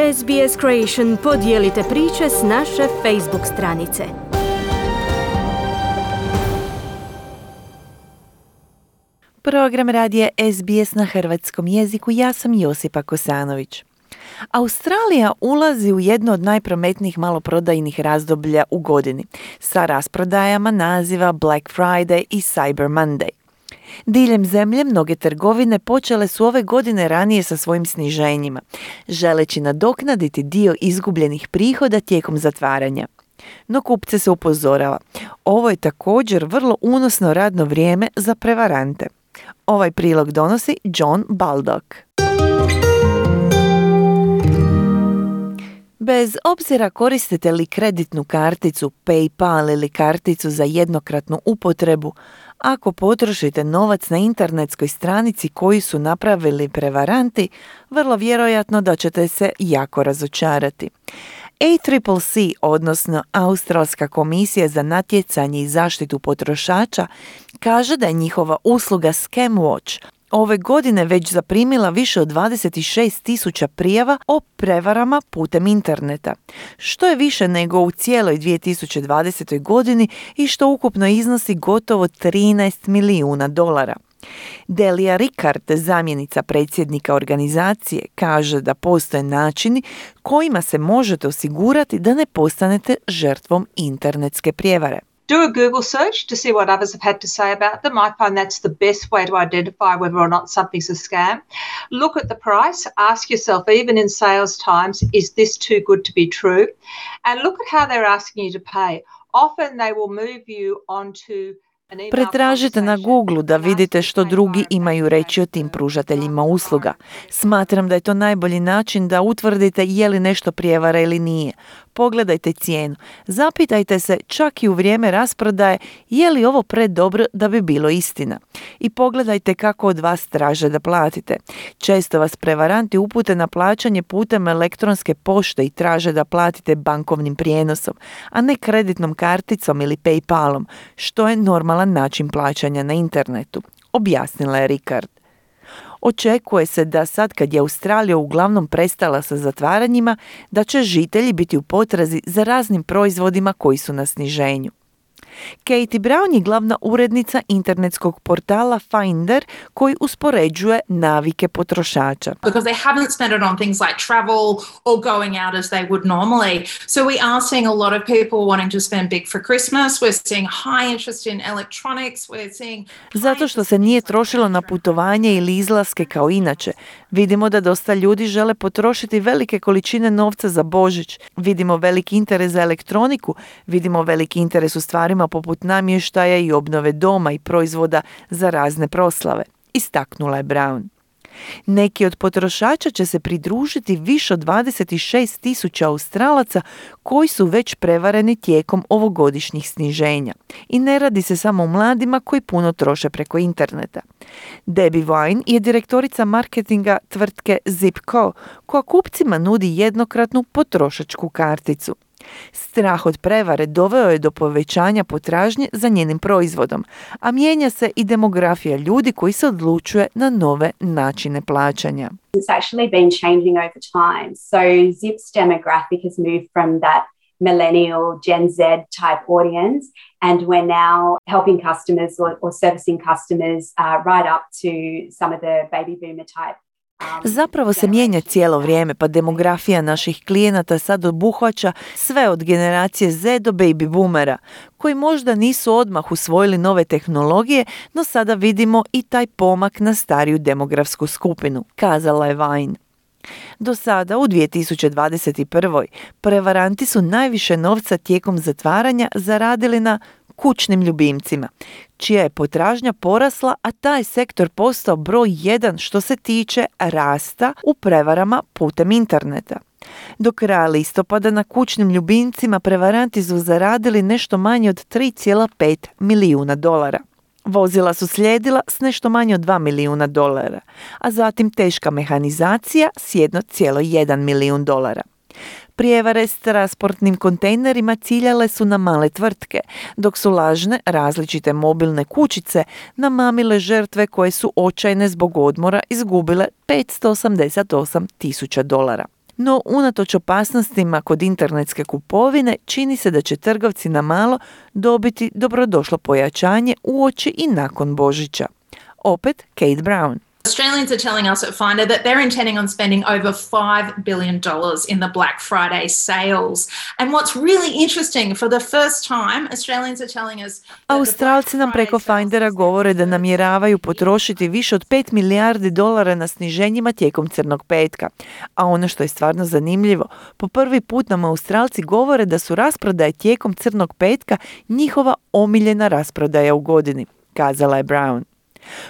SBS Creation podijelite priče s naše Facebook stranice. Program radija SBS na hrvatskom jeziku. Ja sam Josipa Kosanović. Australija ulazi u jedno od najprometnijih maloprodajnih razdoblja u godini, sa rasprodajama naziva Black Friday i Cyber Monday. Diljem zemlje mnoge trgovine počele su ove godine ranije sa svojim sniženjima, želeći nadoknaditi dio izgubljenih prihoda tijekom zatvaranja. No kupce se upozorava, ovo je također vrlo unosno radno vrijeme za prevarante. Ovaj prilog donosi John Baldock. Bez obzira koristite li kreditnu karticu, PayPal ili karticu za jednokratnu upotrebu, ako potrošite novac na internetskoj stranici koju su napravili prevaranti, vrlo vjerojatno da ćete se jako razočarati. ACCC, odnosno Australska komisija za natjecanje i zaštitu potrošača, kaže da je njihova usluga Scam Watch ove godine već zaprimila više od 26,000 prijava o prevarama putem interneta, što je više nego u cijeloj 2020. godini i što ukupno iznosi gotovo $13 milijuna. Delia Rickard, zamjenica predsjednika organizacije, kaže da postoje načini kojima se možete osigurati da ne postanete žrtvom internetske prijevare. Do a Google search to see what others have had to say about them. I find that's the best way to identify whether or not something's a scam. Look at the price. Ask yourself, even in sales times, is this too good to be true? And look at how they're asking you to pay. Often they will move you onto Pretražite na Google da vidite što drugi imaju reći o tim pružateljima usluga. Smatram da je to najbolji način da utvrdite je li nešto prijevara ili nije. Pogledajte cijenu. Zapitajte se čak i u vrijeme rasprodaje je li ovo predobro da bi bilo istina. I pogledajte kako od vas traže da platite. Često vas prevaranti upute na plaćanje putem elektronske pošte i traže da platite bankovnim prijenosom, a ne kreditnom karticom ili PayPalom, što je normalan način plaćanja na internetu, objasnila je Rickard. Očekuje se da sad kad je Australija uglavnom prestala sa zatvaranjima, da će žitelji biti u potrazi za raznim proizvodima koji su na sniženju. Katie Brown je glavna urednica internetskog portala Finder koji uspoređuje navike potrošača. Because they haven't spent it on things like travel or going out as they would normally. So we are seeing a lot of people wanting to spend big for Christmas. We're seeing high interest in electronics. We're seeing Zato što se nije trošilo na putovanje ili izlaske kao inače. Vidimo da dosta ljudi žele potrošiti velike količine novca za Božić. Vidimo veliki interes za elektroniku. Vidimo veliki interes u stvarima poput namještaja i obnove doma i proizvoda za razne proslave, istaknula je Brown. Neki od potrošača će se pridružiti više od 26,000 Australaca koji su već prevareni tijekom ovogodišnjih sniženja. I ne radi se samo o mladima koji puno troše preko interneta. Debbie Wine je direktorica marketinga tvrtke Zipco, koja kupcima nudi jednokratnu potrošačku karticu. Strah od prevare doveo je do povećanja potražnje za njenim proizvodom, a mijenja se i demografija ljudi koji se odlučuje na nove načine plaćanja. It's actually been changing over time. So Zip's demographic has moved from that millennial Gen Z type audience, and we're now helping customers or servicing customers right up to some of the baby boomer type. Zapravo se mijenja cijelo vrijeme, pa demografija naših klijenata sad obuhvaća sve od generacije Z do baby boomera, koji možda nisu odmah usvojili nove tehnologije, no sada vidimo i taj pomak na stariju demografsku skupinu, kazala je Vine. Do sada, u 2021. prevaranti su najviše novca tijekom zatvaranja zaradili na kućnim ljubimcima, čija je potražnja porasla, a taj sektor postao broj 1 što se tiče rasta u prevarama putem interneta. Do kraja listopada na kućnim ljubimcima prevaranti su zaradili nešto manje od $3,5 milijuna. Vozila su slijedila s nešto manje od $2 milijuna, a zatim teška mehanizacija s $1,1 milijun. Prijevare s transportnim kontejnerima ciljale su na male tvrtke, dok su lažne različite mobilne kućice namamile žrtve koje su očajne zbog odmora izgubile $588,000. No, unatoč opasnostima kod internetske kupovine, čini se da će trgovci na malo dobiti dobrodošlo pojačanje uoči i nakon Božića. Opet Kate Brown. Australians are telling us at Finder that they're intending on spending over $5 billion in the Black Friday sales. And what's really interesting, for the first time, Australians are telling us... Australci nam preko Findera govore da namjeravaju potrošiti više od $5 milijardi na sniženjima tijekom Crnog petka. A ono što je stvarno zanimljivo, po prvi put nam Australci govore da su rasprodaje tijekom Crnog petka njihova omiljena rasprodaja u godini, kazala je Brown.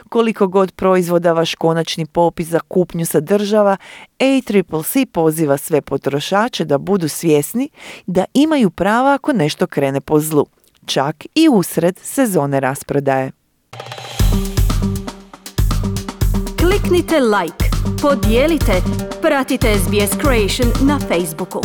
Koliko god proizvoda vaš konačni popis za kupnju sadržava, ACCC poziva sve potrošače da budu svjesni da imaju prava ako nešto krene po zlu, čak i usred sezone rasprodaje. Kliknite like, podijelite, pratite SBS Creation na Facebooku.